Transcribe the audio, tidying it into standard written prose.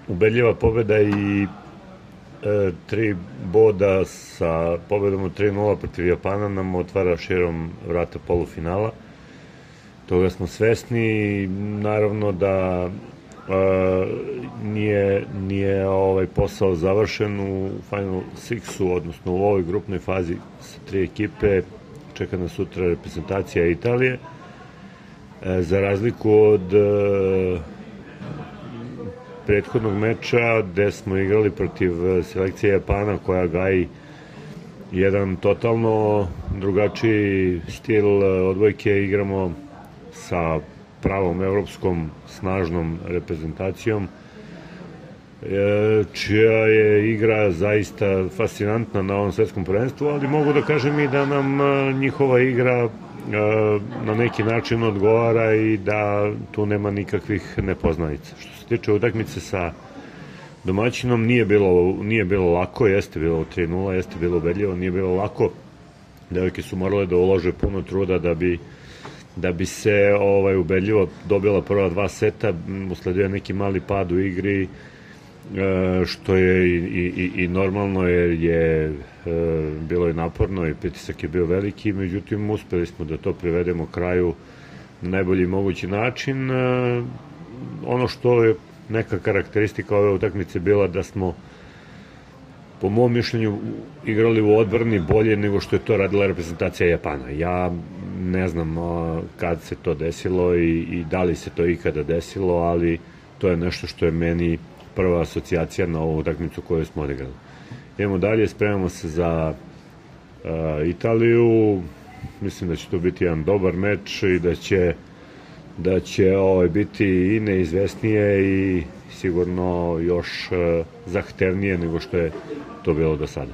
ubedljiva pobeda i 3 boda sa pobedom od 3:0 protiv Japana nam otvara širom vrata polufinala. Toga smo svesni i naravno da nije ovaj posao završen u Final Sixu, odnosno u ovoj grupnoj fazi sa 3 ekipe. Čeka nas sutra reprezentacija Italije. Za razliku od prethodnog meča gde smo igrali protiv selekcije Japana koja gaji jedan totalno drugačiji stil odbojke, igramo sa pravom evropskom snažnom reprezentacijom čija je igra zaista fascinantna na ovom svetskom prvenstvu, ali mogu da kažem i da nam njihova igra na neki način odgovara i da tu nema nikakvih nepoznanica. Što se tiče utakmice sa domaćinom, nije bilo lako, jeste bilo 3:0, jeste bilo ubedljivo, nije bilo lako. Devojke su morale da ulože puno truda da bi se ubedljivo dobila prva 2 seta, usledio neki mali pad u igri, što je i normalno jer je bilo je naporno i pritisak je bio veliki, međutim uspeli smo da to privedemo kraju na najbolji mogući način. Ono što je neka karakteristika ove utakmice bila da smo po mom mišljenju igrali u odbrani bolje nego što je to radila reprezentacija Japana. Ja ne znam kad se to desilo i da li se to ikada desilo, ali to je nešto što je meni prva asocijacija na ovu utakmicu koju smo odigrali. Idemo dalje, spremamo se za Italiju. Mislim da će to biti jedan dobar meč i da će biti i neizvesnije i sigurno još zahtevnije nego što je to bilo do sada.